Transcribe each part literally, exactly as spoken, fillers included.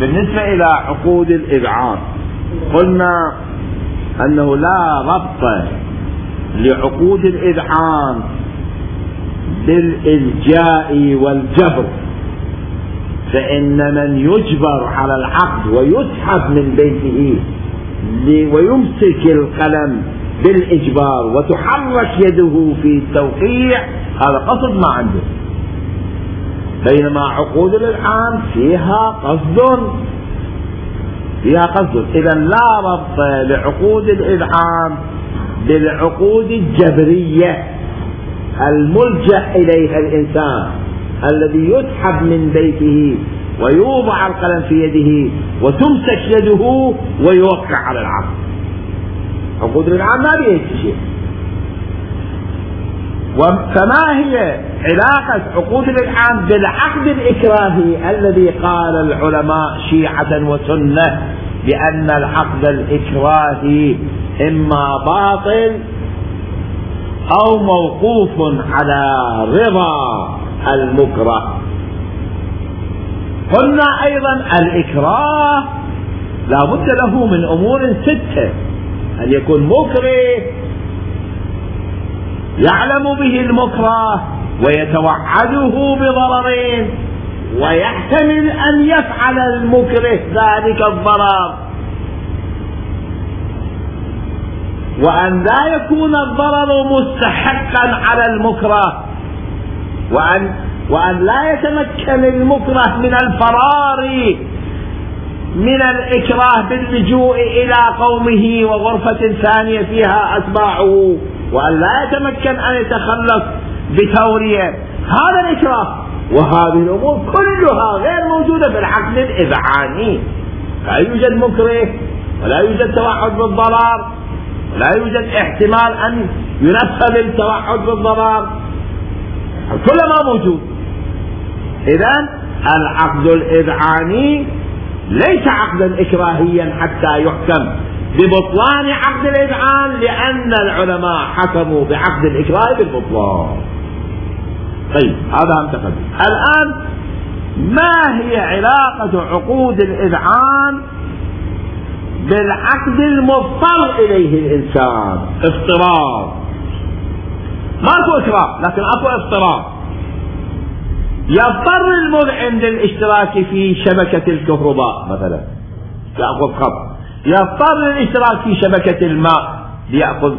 بالنسبة إلى عقود الإذعان قلنا أنه لا ربط لعقود الإذعان بالإلجاء والجبر، فإن من يجبر على العقد ويسحب من بيته ويمسك القلم بالإجبار وتحرك يده في التوقيع هذا قصد ما عنده، بينما عقود الإذعان فيها قصد فيها قصد إذا لا ربط لعقود الإذعان بالعقود الجبرية الملجأ إليها الإنسان الذي يسحب من بيته ويوضع القلم في يده وتمسك يده ويوقع على العقد. عقود الإذعان ما بيها شيء. فما هي علاقة عقود الإذعان بالعقد الإكراهي الذي قال العلماء شيعة وسنة بأن العقد الإكراهي إما باطل أو موقوف على رضا المكره؟ قلنا أيضا الإكراه لا بد له من أمور ستة: أن يكون مكره يعلم به المكره ويتوعده بضررين، ويحتمل أن يفعل المكره ذلك الضرر، وأن لا يكون الضرر مستحقا على المكره، وأن وأن لا يتمكن المكره من الفرار من الإكراه باللجوء إلى قومه وغرفة ثانية فيها أتباعه، وأن لا يتمكن أن يتخلص بتورية. هذا الإكراه، وهذه الأمور كلها غير موجودة في العقد الإذعاني. لا يوجد مكره، ولا يوجد توعد بالضرر، ولا يوجد احتمال أن ينفذ التوعد بالضرر، كل ما موجود. إذن العقد الإذعاني ليس عقدا إكراهيا حتى يحكم ببطلان عقد الإذعان، لأن العلماء حكموا بعقد الإكراه بالبطلان. طيب هذا هم تقدم. الآن ما هي علاقة عقود الإذعان بالعقد المضطر إليه الإنسان؟ اضطرار، ماكو إكراه لكن اكو اضطرار. يضطر المذعن للاشتراك في شبكة الكهرباء مثلا يأخذ خط، يضطر للاشتراك في شبكة الماء ليأخذ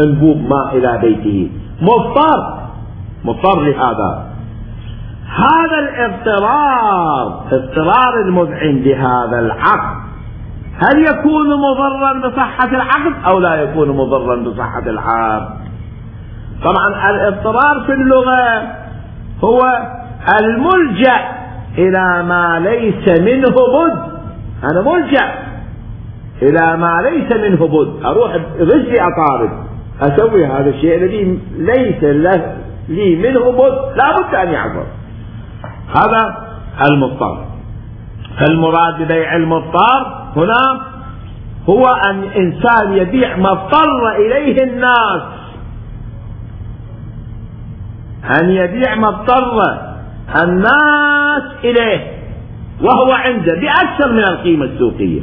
انبوب ماء إلى بيته، مضطر مضطر لهذا. هذا الاضطرار، اضطرار المذعن لهذا العقد، هل يكون مضرا بصحة العقد أو لا يكون مضرا بصحة العقد؟ طبعا الاضطرار في اللغة هو الملجأ إلى ما ليس منه بد. أنا ملجأ إلى ما ليس منه بد، أروح برجلي أطارد أسوي هذا الشيء الذي ليس له لي منه بد، لا بد أن يعبر. هذا المضطر. فالمراد ببيع المضطر هنا هو أن إنسان يبيع ما اضطر إليه الناس، أن يبيع ما اضطر الناس إليه وهو عنده بأكثر من القيمة السوقية،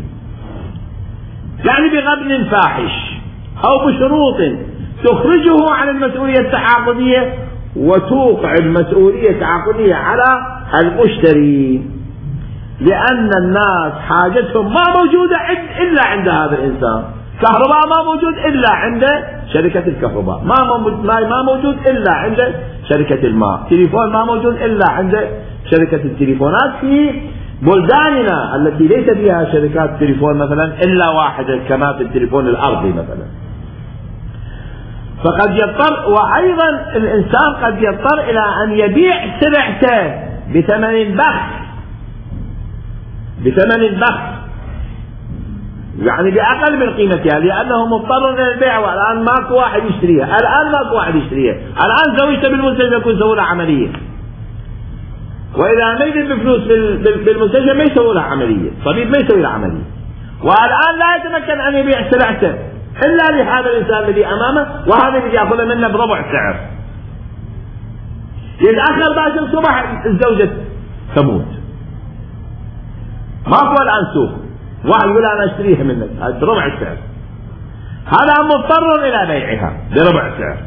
يعني بغبن فاحش أو بشروط تخرجه عن المسؤولية التعاقدية وتوقع المسؤولية التعاقدية على المشتري، لأن الناس حاجتهم ما موجودة إلا عند هذا الإنسان. كهرباء ما موجود إلا عند شركة الكهرباء، ما ما موجود إلا عند شركة الماء، تليفون ما موجود إلا عند شركة التليفونات في بلداننا التي ليس فيها شركات تليفون مثلا إلا واحدة كما في التليفون الأرضي مثلا. فقد يضطر، وأيضا الإنسان قد يضطر إلى أن يبيع سلعته بثمن بخس، بثمن بخس يعني بأقل من قيمتها، لأنه مضطر إلى البيع، والآن ماكو واحد يشتريها، الآن ماكو واحد يشتريها، الآن زوجته بالمستشفى يكون يسوي لها عملية، وإذا ما يجد بفلوس بالمستشفى ما يسوي لها عملية، طبيب ما يسوي لها عملية، والآن لا يتمكن أن يبيع سلعته إلا لهذا الإنسان الذي أمامه، وهذا الذي يأخذ منه بربع سعر. يتأخر باكر الصبح الزوجة تموت، ماكو الآن سوق، واحد يقول أنا أشتريها منك بربع السعر، هذا مضطر إلى بيعها بربع سعر.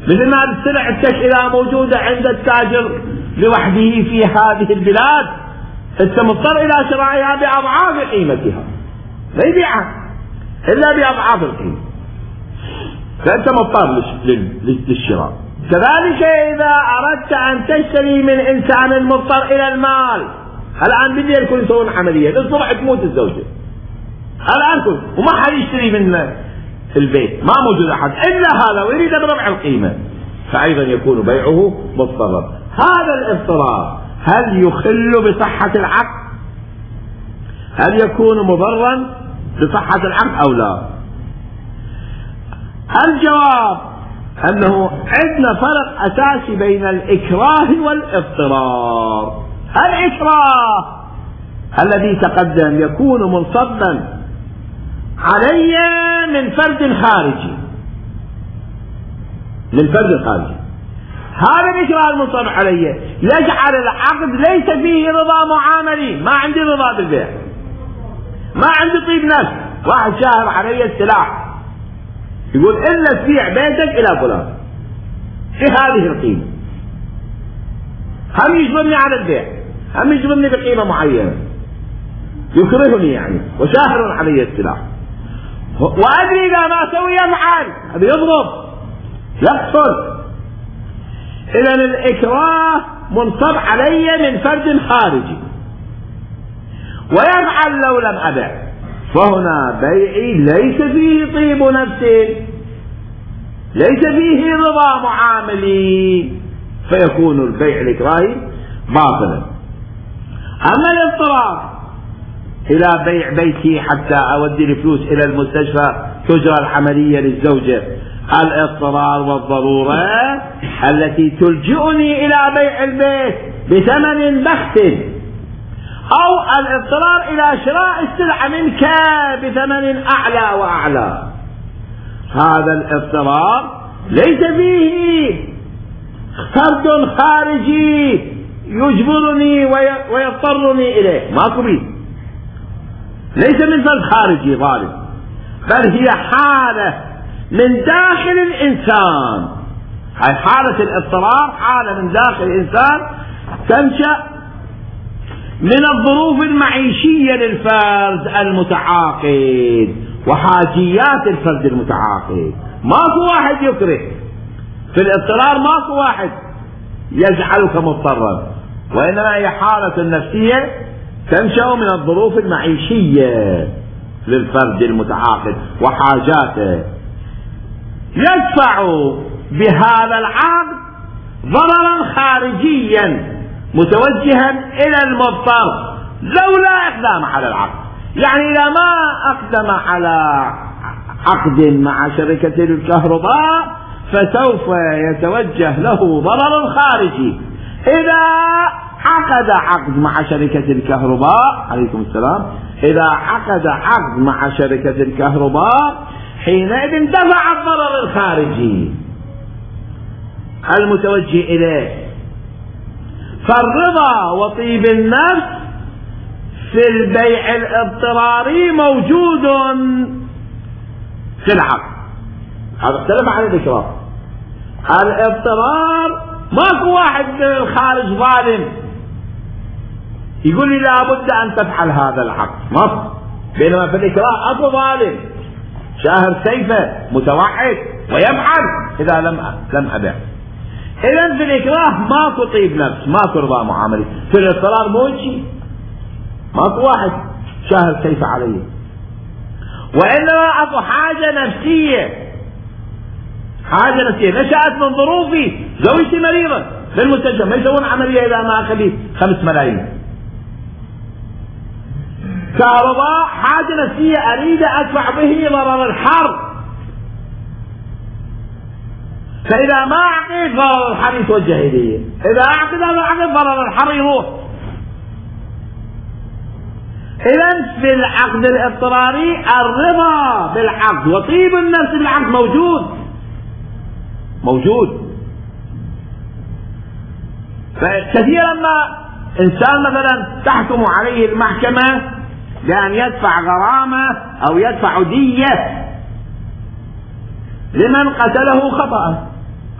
مثل ما السلع إذا موجودة عند التاجر لوحده في هذه البلاد أنت مضطر إلى شرائها بأضعاف قيمتها، لا يبيعها إلا بأضعاف القيمة، فأنت مضطر للشراء. كذلك إذا أردت أن تشتري من إنسان مضطر إلى المال، الآن بالليل كل يسوون عملية، الصبح تموت الزوجة، الآن كل وما حد يشتري من البيت، ما موجود أحد إلا هذا ويريد بربع القيمة، فأيضا يكون بيعه مضطرا. هذا الاضطرار هل يخل بصحة العقد؟ هل يكون مضرا بصحة العقد أو لا؟ الجواب أنه عندنا فرق أساسي بين الإكراه والاضطرار. الإكراه الذي تقدم يكون منصبا علي من فرد خارجي، من فرد خارجي. هذا الإكراه المنصب علي يجعل العقد ليس فيه رضا معاملي، ما عندي رضا بالبيع، ما عندي طيب نفس. واحد شاهر علي السلاح يقول إلا تبيع بيتك إلى فلان بهذه القيمة، هم يجبرني على البيع، هم يجبرني بقيمة معينة، يكرهني يعني وشاهر علي السلاح، وأدري إذا ما أسوي يفعل، هذا يضرب يقتل. إذن الإكراه منصب علي من فرد خارجي ويفعل لو لم أبع، فهنا بيعي ليس فيه طيب نفس، ليس فيه رضا معاملي، فيكون البيع الإكراهي باطلا. أما الاضطرار إلى بيع بيتي حتى أودي الفلوس إلى المستشفى تجرى العملية للزوجة، الاضطرار والضرورة التي تلجئني إلى بيع البيت بثمن بخس، أو الاضطرار إلى شراء السلعة منك بثمن أعلى وأعلى، هذا الاضطرار ليس فيه فرد خارجي يجبرني ويضطرني إليه، ماكو بيه، ليس من فرد خارجي ظالم، بل هي حالة من داخل الإنسان. هاي حالة الاضطرار حالة من داخل الإنسان تنشأ من الظروف المعيشية للفرد المتعاقد وحاجيات الفرد المتعاقد. ماكو واحد يكره في الاضطرار، ماكو واحد يجعلك مضطرا، وإنما هي حالة نفسية تنشأ من الظروف المعيشية للفرد المتعاقد وحاجاته، يدفع بهذا العقد ضررا خارجيا متوجها إلى المضطر لولا إقدام على العقد. يعني إذا ما أقدم على عقد مع شركة الكهرباء فسوف يتوجه له ضرر خارجي. إذا عقد عقد مع شركة الكهرباء، عليكم السلام، إذا عقد عقد مع شركة الكهرباء حينئذ دفع الضرر الخارجي المتوجه إليه. فالرضا وطيب النفس في البيع الاضطراري موجود في العقد، هذا اختلف عن الإكراه. الاضطرار ماكو واحد من الخارج ظالم يقول لي لابد أن تفعل هذا العقد، ماكو. بينما في الإكراه أكو ظالم شاهر سيفه متوعد ويفعل إذا لم لم أبع. إذن في الإكراه ماكو طيب نفس، ماكو رضا معاملي. في الاضطرار مو شيء، ماكو واحد شاهر سيفه عليه، وإنما أكو حاجة نفسية، حاجة نفسية نشأت من ظروفي. زوجتي مريضة في المستشفى، ما يسوون عملية إذا ما أخذي خمس ملايين. كهرباء حاجة نفسية أريد أدفع به ضرر الحر، فإذا ما أعطيت ضرر الحر يتوجه إليه، إذا أعطيت هذا العقد ضرر الحر يروح. إذن في العقد الاضطراري الرضا بالعقد وطيب النفس بالعقد موجود موجود فكثيرا ما إنسان مثلا تحكم عليه المحكمة بأن يدفع غرامة أو يدفع دية لمن قتله خطأ.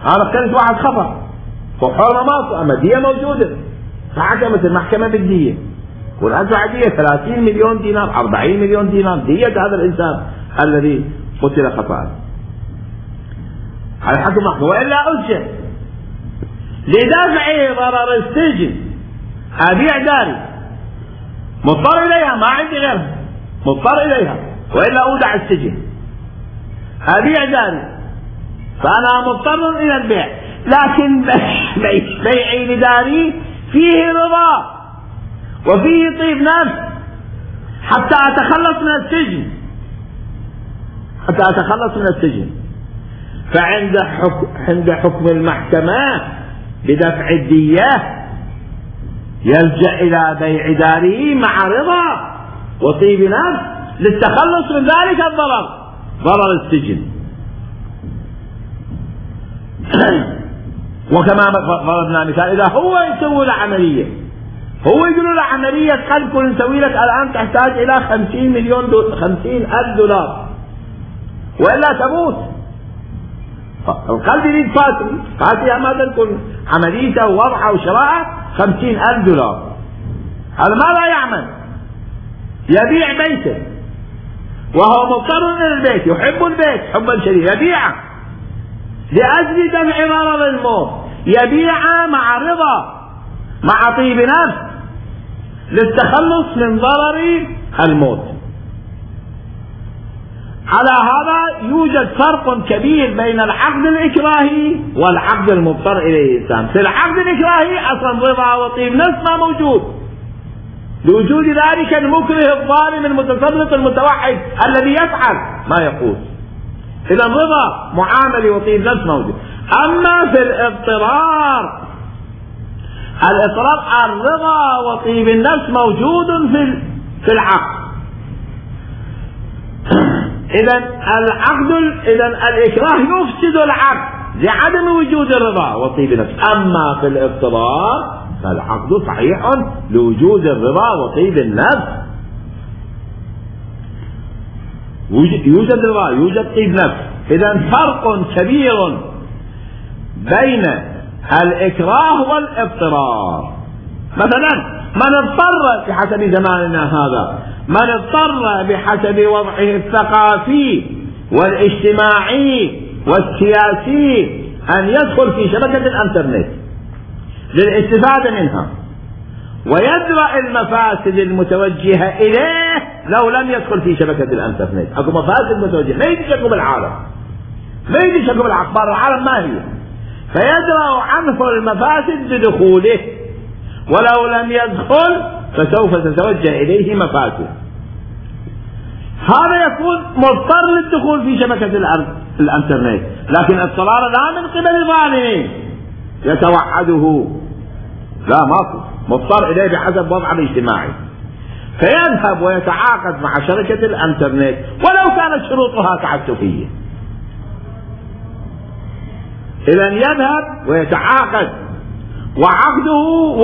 هذا كانت واحد خطأ وحرمة ماته، أما دية موجودة، فحكمت المحكمة بالدية، والأدفع دية ثلاثين مليون دينار، أربعين مليون دينار دية هذا الإنسان الذي قتل خطأ. هذا حكم محكمة. وإلا أجل لدفع ضرر السجن أبيع داري، مضطر إليها، ما عندي غيرها، مضطر إليها، وإلا أودع السجن، أبيع داري، فأنا مضطر إلى البيع، لكن بيعي لداري فيه رضا وفيه طيب نفس حتى أتخلص من السجن، حتى أتخلص من السجن. فعند حكم عند حكم المحكمة بدفع الدية يلجأ إلى بيع داره مع رضا وطيب نفس للتخلص من ذلك الضرر، ضرر السجن. وكما ضربنا مثال، إذا هو يسوي له عملية، هو يقول له عملية قلب كل نسوي لك الآن تحتاج إلى خمسين مليون دولار، خمسين ألف دولار، وإلا تموت. القلب يريد فاتري، فاتري ما تكون عمليته ووضعه وشراءه خمسين ألف دولار. هذا ماذا يعمل؟ يبيع بيته وهو مضطر إلى البيت، يحب البيت حبا شديدا، يبيعه لأجل دفع ضرر الموت، يبيعه مع رضا مع طيب نفس للتخلص من ضرر الموت. على هذا يوجد فرق كبير بين العقد الإكراهي والعقد المضطر إليه الإنسان. في العقد الإكراهي أصلا رضا وطيب نفس ما موجود، لوجود ذلك المكره الظالم المتسلط المتوحد الذي يفعل ما يقول، إذا الرضا معامل وطيب نفس موجود. أما في الاضطرار، الاضطرار الرضا وطيب النفس موجود في في العقد. إذا العقد إذا الإكراه يفسد العقد لعدم وجود الرضا وطيب النفس. أما في الاضطرار فالعقد صحيح لوجود الرضا وطيب النفس، يوجد رضا يوجد طيب نفس. إذا فرق كبير بين الإكراه والاضطرار. مثلا من اضطر بحسب زماننا هذا، من اضطر بحسب وضعه الثقافي والاجتماعي والسياسي أن يدخل في شبكة الانترنت للاستفادة منها ويدرأ المفاسد المتوجهة إليه لو لم يدخل في شبكة الانترنت. أكو مفاسد متوجهة ما يدري بالعالم، ما يدري شكل بالأخبار العالم ما هي، فيدرأ عنه المفاسد بدخوله، ولو لم يدخل فسوف تتوجه إليه مفاسد. هذا يكون مضطر للدخول في شبكة الانترنت، لكن اضطرار لا من قبل ظالم يتوعده، لا ماكو، مضطر إليه بحسب وضعه الاجتماعي، فيذهب ويتعاقد مع شركة الانترنت ولو كانت شروطها تعسفية. إذا يذهب ويتعاقد وعقده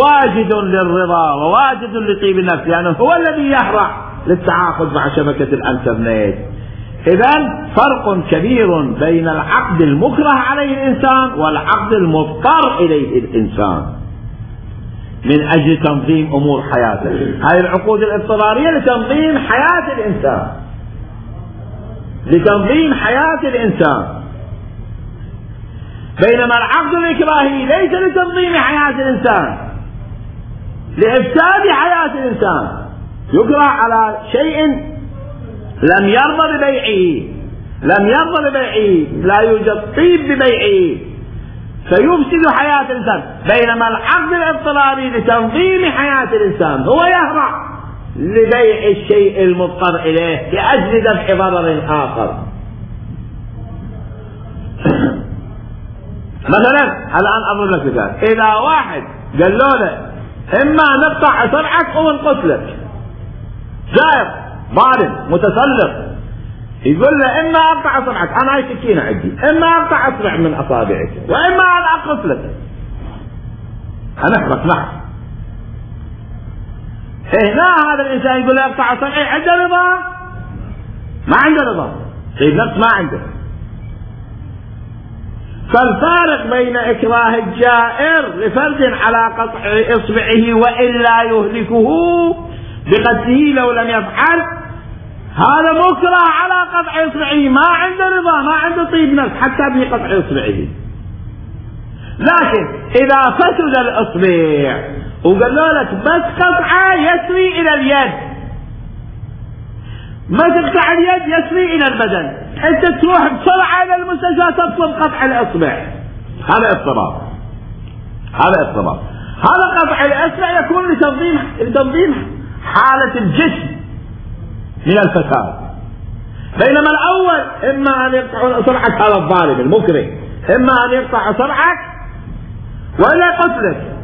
واجد للرضا وواجد لطيب النفس، لأنه يعني هو الذي يهرع للتعاقد مع شبكة الانترنت. إذا فرق كبير بين العقد المكره عليه الإنسان والعقد المضطر إليه الإنسان من أجل تنظيم أمور حياته. هذه العقود الاضطرارية لتنظيم حياة الإنسان، لتنظيم حياة الإنسان، بينما العقد الإكراهي ليس لتنظيم حياة الإنسان، لإفساد حياة الإنسان. يكره على شيء لم يرضى ببيعه، لم يرضى ببيعه، لا يوجد طيب ببيعه، فيفسد حياة الإنسان. بينما العقد الاضطراري لتنظيم حياة الإنسان هو يهرع لبيع الشيء المضطر إليه لأجل دفع ضرر آخر. مثلا الآن أضرب لك مثال، إذا واحد قال له إما نقطع صبعك أو نقتلك، جائر ظالم متسلط، يقول له إما أقطع صبعك، أنا هاي سكينة عندي، إما أقطع أصبع من أصابعك وإما أنا أقتلك، هنحرق نحن. هنا هذا الانسان يقول اقطع اصبعي، عنده رضا؟ ما عنده رضا، طيب نفس ما عنده. فالفارق بين اكراه الجائر لفرد على قطع اصبعه والا يهلكه بقتله لو لم يفعل، هذا مكره على قطع اصبعه، ما عنده رضا، ما عنده طيب نفس حتى بقطع اصبعه. لكن اذا فسد الاصبع وقالوا لك بس قطعه يسري الى اليد، ما تقطع اليد يسري الى البدن، انت تروح بسرعه الى المستشفى تطلب قطع الاصبع، هذا اضطراب، هذا اضطراب. هذا قطع الاصبع يكون لتنظيم لتنظيم حاله الجسم من الفساد، بينما الاول اما ان يقطع اصبعك هذا الظالم المكره، اما ان يقطع اصبعك ولا يقتلك.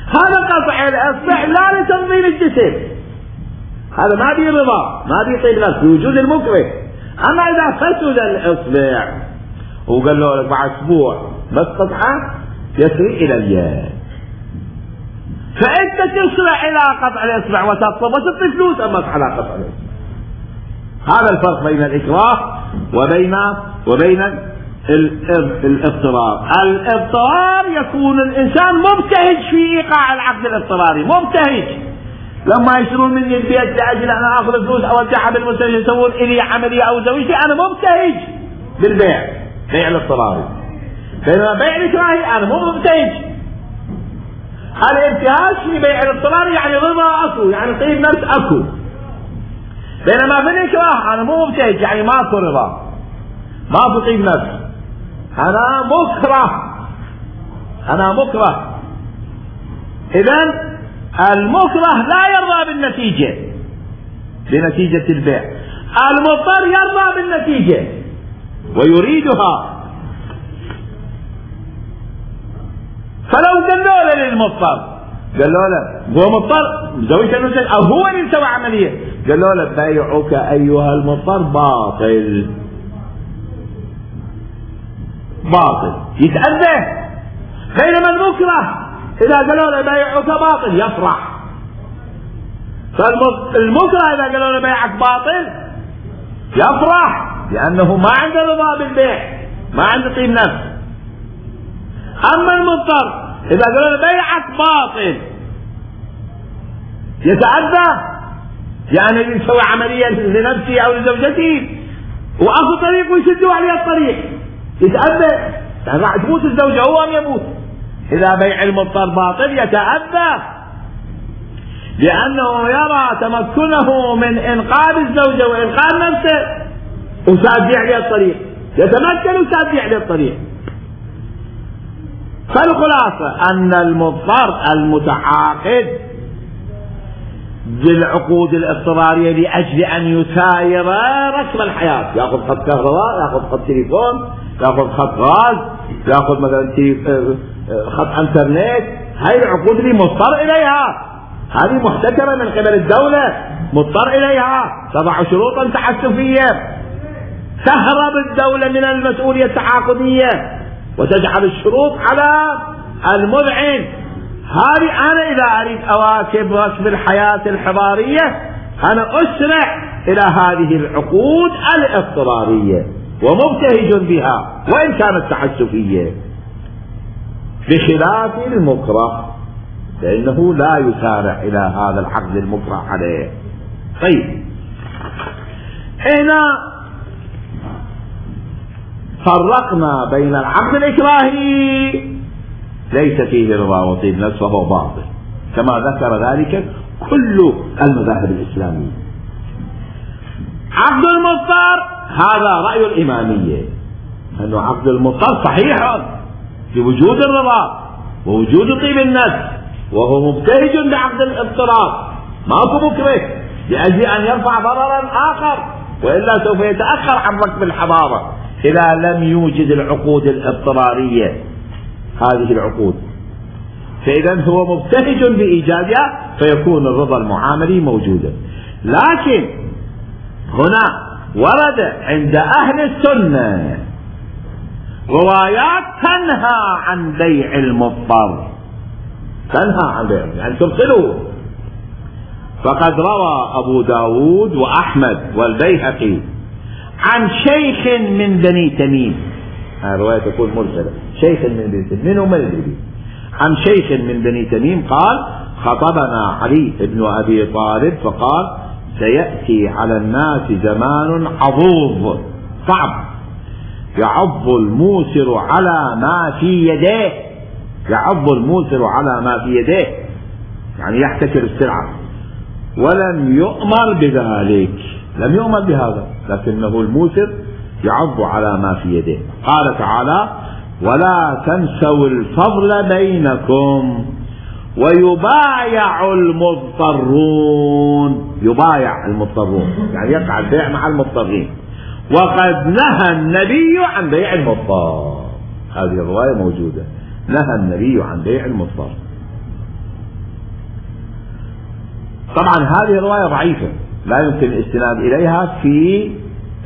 هذا قطع الاصبع لا لتنظيم الجسم، هذا ما بي رضا، ما بي طيب نفس بوجود المكره. اما اذا فسد الاصبع وقال له لك بعد اسبوع بس قطعه يسري الى اليد، فانت تسرع الى قطع الاصبع وتطلب وتعطي فلوس امك على قطع الاصبع. هذا الفرق بين الاكراه وبين وبين الاضطرار. الاضطرار يكون الانسان مبتهج في ايقاع العقد الاضطراري، مبتهج. لما يشترون مني البيت لاجل انا اخذ فلوس اودعها بالمستشفى يسوون الي عمليه او زوجتي، انا مبتهج بالبيع، بيع الاضطراري. بينما بيع الاكراهي انا مو مبتهج. الابتهاج في بيع الاضطراري يعني رضا اكو، يعني طيب نفس اكو. بينما في الاكراه انا مو مبتهج، يعني ماكو رضا، ماكو طيب نفس، انا مكره، انا مكره. اذن المكره لا يرضى بالنتيجة، بنتيجة البيع. المضطر يرضى بالنتيجة ويريدها. فلو قالوا له للمضطر، قالوا له هو مضطر زوجته او هو اللي سوى عملية، قالوا له بيعك ايها المضطر باطل، باطل يتأذى. بينما المكره إذا قالوا له بيعك باطل يفرح. فالمكره إذا قالوا له بيعك باطل يفرح، لأنه ما عنده رضا بالبيع، ما عنده طيب نفس. أما المضطر إذا قالوا له بيعك باطل يتأذى، يعني يسوي عملية لنفسه أو لزوجته وأخذ طريق ويسدوا عليه الطريق يتأذى، يعني راح تموت الزوجة هو أم يموت. إذا بيع المضطر باطل يتأذى، لأنه يرى تمكنه من إنقاذ الزوجة وإنقاذ نفسه وساد عليه الطريق، يتمكن وساد عليه الطريق. فالخلاصة أن المضطر المتعاقد بالعقود الاضطرارية لأجل أن يساير رسم الحياة، يأخذ خط كهرباء، يأخذ خط تليفون، يأخذ خط غاز، يأخذ مثلا خط انترنت، هاي العقود اللي مضطر إليها، هذه محتكرة من قبل الدولة، مضطر إليها، تضع شروطا تعسفية، تهرب الدولة من المسؤولية التعاقدية وتجعل الشروط على المذعن. هذه أنا إذا أريد أواكب رسم الحياة الحضارية أنا أسرع إلى هذه العقود الاضطرارية ومبتهج بها وإن كانت تعسفية، بخلاف المكره فإنه لا يسارع إلى هذا العقد المكره عليه. طيب هنا فرقنا بين العقد الإكراهي ليس فيه رضا وطيب نفس وهو باطل كما ذكر ذلك كل المذاهب الإسلامية. عقد المضطر هذا رأي الإمامية، أنه عقد المضطر صحيح بوجود الرضا ووجود طيب النفس وهو مبتهج بعقد الاضطرار، ماكو مكره لأجل أن يرفع ضررا آخر، وإلا سوف يتأخر عن ركب الحضارة إذا لم يوجد العقود الاضطرارية هذه العقود. فإذا هو مبتهج بإيجادها فيكون الرضا المعاملي موجودا. لكن هنا ورد عند أهل السنة روايات تنهى عن بيع المضطر، تنهى عن بيع، يعني تبطله. فقد روى أبو داود وأحمد والبيهقي عن شيخ من بني تميم، هذه الرواية تكون مرسلة، شيخ من بني تميم، من هم الذي عن شيخ من بني تميم قال: خطبنا علي بن أبي طالب فقال: سيأتي على الناس زمان عضوض صعب يعض الموسر على ما في يديه، يعض الموسر على ما في يديه يعني يحتكر السلعة، ولم يؤمر بذلك، لم يؤمر بهذا، لكنه الموسر يعض على ما في يديه. قال تعالى: ولا تنسوا الفضل بينكم ويبايع المضطرون، يبايع المضطرون يعني يقع البيع مع المضطرين، وقد نهى النبي عن بيع المضطر. هذه الرواية موجودة، نهى النبي عن بيع المضطر. طبعا هذه الرواية ضعيفة لا يمكن الاستناد إليها في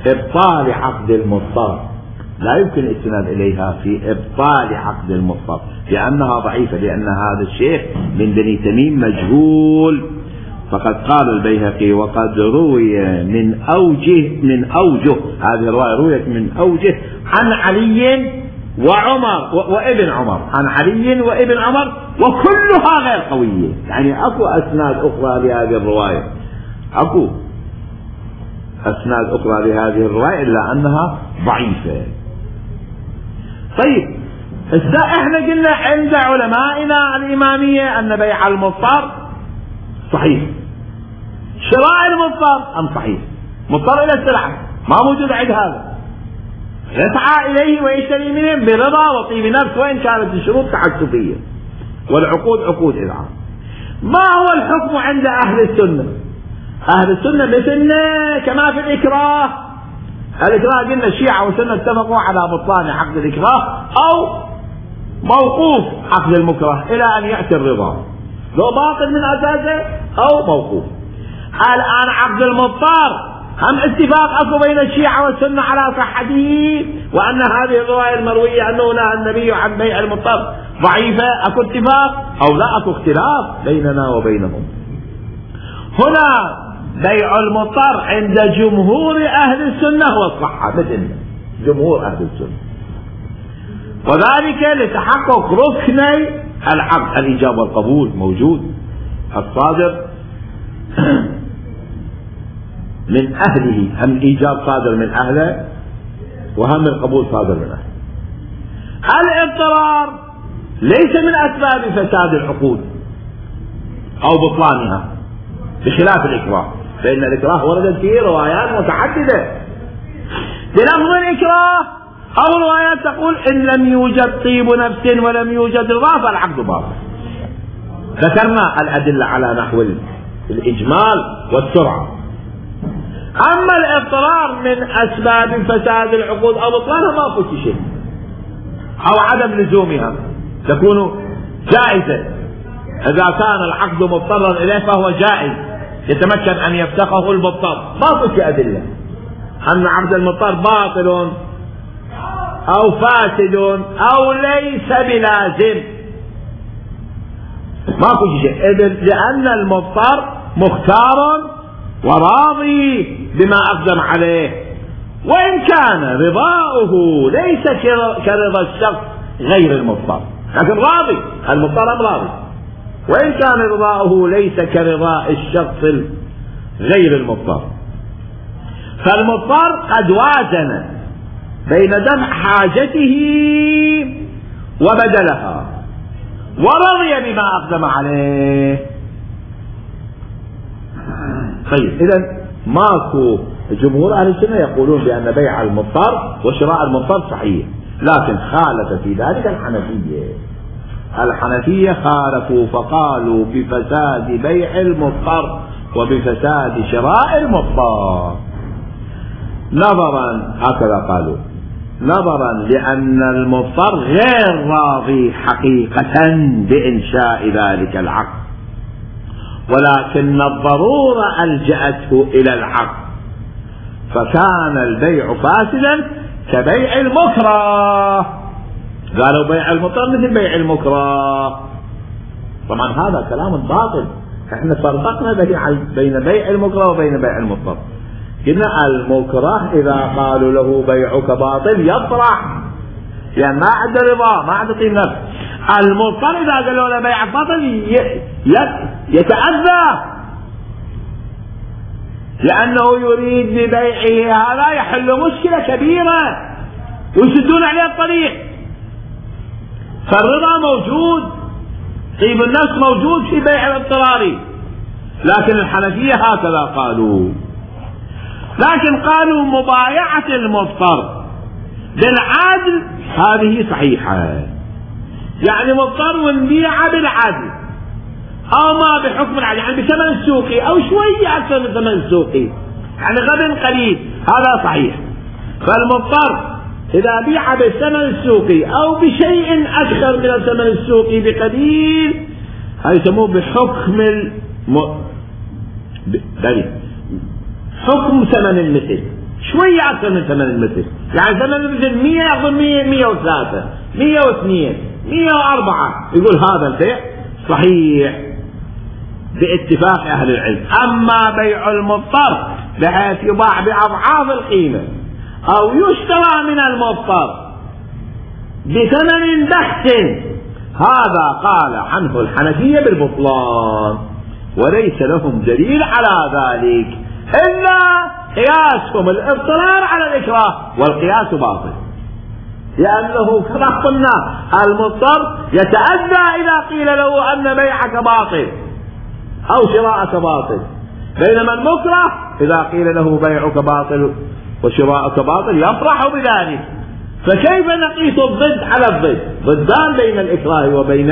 إبطال عقد المضطر، لا يمكن الاستناد إليها في إبطال عقد المضطر لأنها ضعيفة، لأن هذا الشيخ من بني تميم مجهول. فقد قال البيهقي: وقد روي من أوجه من أوجه هذه الرواية رويت من أوجه عن علي وعمر وابن عمر، عن علي وابن عمر، وكلها غير قوية، يعني أكو أسناد أخرى لهذه الرواية، أكو أسناد أخرى لهذه الرواية إلا أنها ضعيفة. طيب إذا إحنا قلنا عند علمائنا الإمامية أن بيع المضطر صحيح، شراء المضطر أم صحيح؟ مضطر إلى السلعة ما موجود عند هذا، يسعى إليه ويشتري منه برضا وطيب نفس وإن كانت الشروط تعسفية والعقود عقود إذعان. ما هو الحكم عند أهل السنة؟ أهل السنة مثلنا كما في الإكراه، الإكراه قلنا الشيعة والسنة اتفقوا على بطلان عقد الإكراه أو موقوف عقد المكره إلى أن يأتي الرضا، لو باطل من أساسه أو موقوف. الآن عقد المضطر هم اتفاق أكو بين الشيعة والسنة على صحته، وأن هذه الرواية المروية أنه نهى النبي عن بيع المضطر ضعيفة، أكو اتفاق أو لا أكو اختلاف بيننا وبينهم. هنا بيع المضطر عند جمهور أهل السنة هو الصحة مثل جمهور أهل السنة، وذلك لتحقق ركني العقد الإيجاب والقبول موجود، الصادر من أهله، هم الإيجاب صادر من أهله وهم القبول صادر من أهله. الاضطرار ليس من أسباب فساد العقود أو بطلانها بخلاف الإكراه، فإن الإكراه وردت فيه روايات متعددة بلفظ الإكراه، أو روايات تقول إن لم يوجد طيب نفس ولم يوجد رضا فالعقد باطل. ذكرنا الأدلة على نحو الإجمال والسرعة. أما الاضطرار من أسباب فساد العقود أو بطلانها ما في شيء، أو عدم لزومها تكون جائزة، إذا كان العقد مضطرا إليه فهو جائز يتمكن أن يفسخه المضطر، ما في أدلة أن عقد المضطر باطل أو فاسد أو ليس بلازم، ما في شيء، لأن المضطر مختار وراضي بما أقدم عليه، وإن كان رضاؤه ليس كرضا الشخص غير المضطر، لكن راضي، المضطر راضي، وإن كان رضاؤه ليس كرضاء الشخص غير المضطر. فالمضطر قد وازن بين دفع حاجته وبدلها ورضي بما أقدم عليه. طيب إذن ماكو جمهور أهل السنة يقولون بأن بيع المضطر وشراء المضطر صحيح، لكن خالف في ذلك الحنفية. الحنفية خالفوا فقالوا بفساد بيع المضطر وبفساد شراء المضطر، نظرا هكذا قالوا، نظرا لأن المضطر غير راضي حقيقة بإنشاء ذلك العقد، ولكن الضرورة ألجأته إلى العقد، فكان البيع فاسدا كبيع المكره. قالوا بيع المضطر مثل بيع المكره، طبعا هذا كلام باطل، احنا فرقنا بين بيع المكره وبين بيع المضطر. قلنا المكره اذا قالوا له بيعك باطل يطرح، يعني ما عنده رضا، ما عنده طيب نفس. المضطر اذا قالوا له بيعك باطل يتأذى، لانه يريد ببيعه هذا يحل مشكلة كبيرة ويسدون عليه الطريق. فالرضا موجود، طيب النفس موجود في بيع الاضطراري، لكن الحنفية هكذا قالوا. لكن قالوا مبايعة المضطر بالعدل هذه صحيحة، يعني مضطر ونبيعه بالعدل او ما بحكم العدل، يعني بثمن السوقي او شوية اكثر من ثمن السوقي، يعني غبن قليل، هذا صحيح. فالمضطر اذا بيع بالثمن السوقي او بشيء اكثر من الثمن السوقي بقليل، هذا يسموه بحكم الم... ب... حكم ثمن المثل، شوية أكثر من ثمن المثل، يعني ثمن المثل مية يأخذ مية، مية وثلاثة، مية واثنين، مية وأربعة، يقول هذا البيع صحيح باتفاق أهل العلم. أما بيع المضطر بحيث يباع بأضعاف القيمة أو يشترى من المضطر بثمن بحث، هذا قال عنه الحنفية بالبطلان، وليس لهم دليل على ذلك إلا قياسهم الاضطرار على الإكراه، والقياس باطل، لأنه كما قلنا المضطر يتأذى إذا قيل له أن بيعك باطل أو شراءك باطل، بينما المكره إذا قيل له بيعك باطل وشراءك باطل يفرح بذلك. فكيف نقيس الضد على الضد؟ ضدان بين الإكراه وبين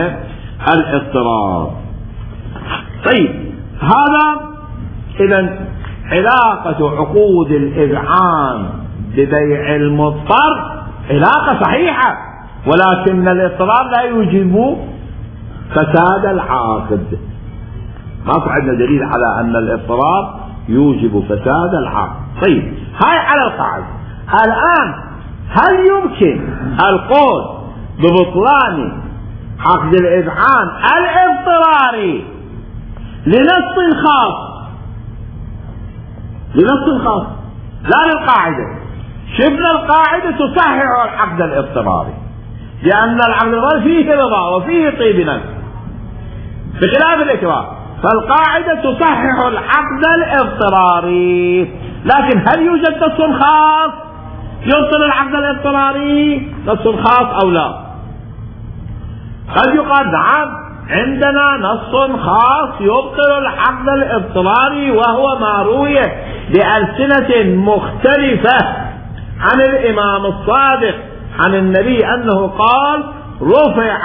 الاضطرار. طيب، هذا إذن علاقة عقود الإذعان ببيع المضطر علاقة صحيحة، ولكن الاضطرار لا يوجب فساد العاقد. ما عندنا دليل على أن الاضطرار يوجب فساد العاقد. طيب، هاي على القاعدة. الآن هل يمكن القول ببطلان عقد الإذعان الاضطراري لنص خاص، لنص خاص لا للقاعدة؟ شفنا القاعدة تصحح العقد الاضطراري، لأن العقد الاضطراري فيه رضا وفيه طيب نفس بخلاف الإكراه، فالقاعدة تصحح العقد الاضطراري. لكن هل يوجد نص خاص يبطل العقد الاضطراري، نص خاص أو لا؟ قد يقال نعم، عندنا نص خاص يبطل العقد الاضطراري، وهو ما روي بألسنة مختلفة عن الإمام الصادق عن النبي أنه قال: رفع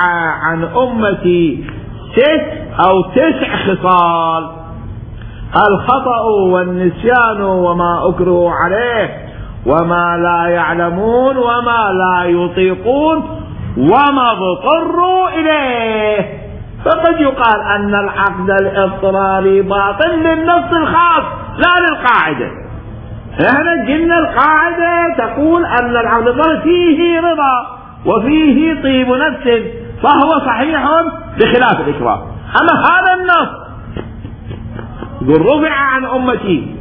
عن أمتي ست أو تسع خصال: الخطأ والنسيان وما أكره عليه وما لا يعلمون وما لا يطيقون وما اضطروا إليه. فقد يقال أن العقد الاضطراري باطل للنص الخاص لا للقاعدة. احنا قلنا القاعدة تقول أن العقد الاضطراري فيه رضا وفيه طيب نفس، فهو صحيح بخلاف الإكراه. أما هذا النص يقول: رفع عن أمتي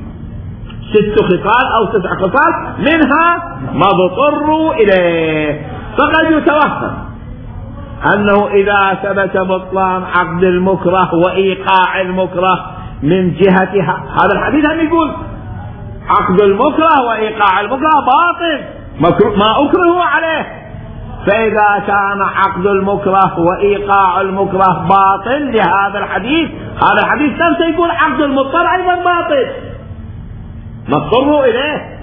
ست خصال أو تسع خصال منها ما اضطروا إليه، فقد يتوهم أنه إذا ثبت بطلان عقد المكره وإيقاع المكره من جهة هذا الحديث، هم يقول عقد المكره وإيقاع المكره باطل ما أكره عليه. فإذا كان عقد المكره وإيقاع المكره باطل لهذا الحديث، هذا الحديث نفسه يقول عقد المضطر أيضا باطل ما اضطروا إليه.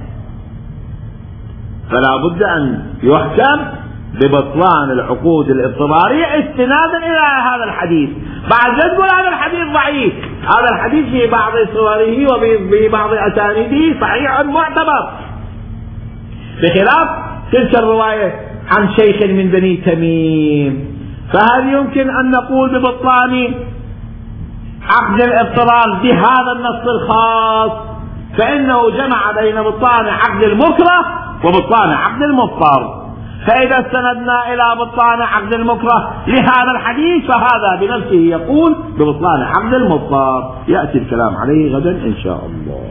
فلا بد أن يحكم ببطلان العقود الاضطرارية استنادا إلى هذا الحديث. بعد لا تقول هذا الحديث ضعيف، هذا الحديث في بعض صوره وفي بعض أسانيده صحيح معتبر، بخلاف تلك الرواية عن شيخ من بني تميم. فهل يمكن أن نقول ببطلان عقد الاضطرار بهذا النص الخاص؟ فإنه جمع بين بطلان عقد المكره وبطلان عقد المضطر. فإذا استندنا إلى بطلان عقد المكره لهذا الحديث فهذا بنفسه يقول ببطلان عقد المضطر. يأتي الكلام عليه غدا إن شاء الله.